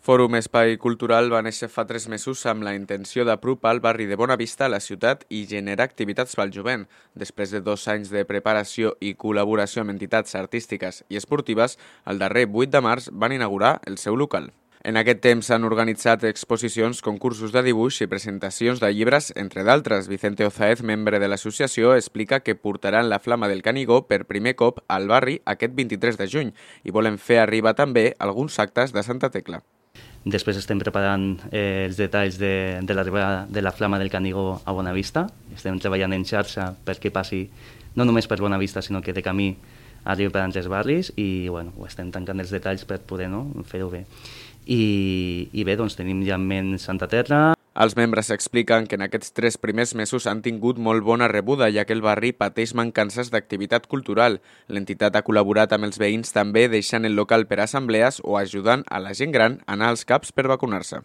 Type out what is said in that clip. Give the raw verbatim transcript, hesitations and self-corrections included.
Fòrum Espai Cultural va néixer fa tres mesos amb la intenció d'apropar el barri de Bonavista a la ciutat i generar activitats pel jovent. Després de dos anys de preparació i col·laboració amb entitats artístiques i esportives, el darrer vuit de març van inaugurar el seu local. En aquest temps s'han organitzat exposicions, concursos de dibuix i presentacions de llibres, entre d'altres. Vicente Ozaez, membre de l'associació, explica que portaran la Flama del Canigó per primer cop al barri aquest vint-i-tres de juny i volen fer arribar també alguns actes de Santa Tecla. Després estem preparant eh, els detalls de, de l'arribada de la Flama del Canigó a Bonavista. Estem treballant en xarxa perquè passi no només per Bonavista, sinó que de camí arribi per altres barris i bueno, estem tancant els detalls per poder no, fer-ho bé. I, I bé, doncs tenim ja en ment Santa Terra. Els membres expliquen que en aquests tres primers mesos han tingut molt bona rebuda, ja que el barri pateix mancances d'activitat cultural. L'entitat ha col·laborat amb els veïns també deixant el local per assemblees o ajudant a la gent gran a anar als CAPs per vacunar-se.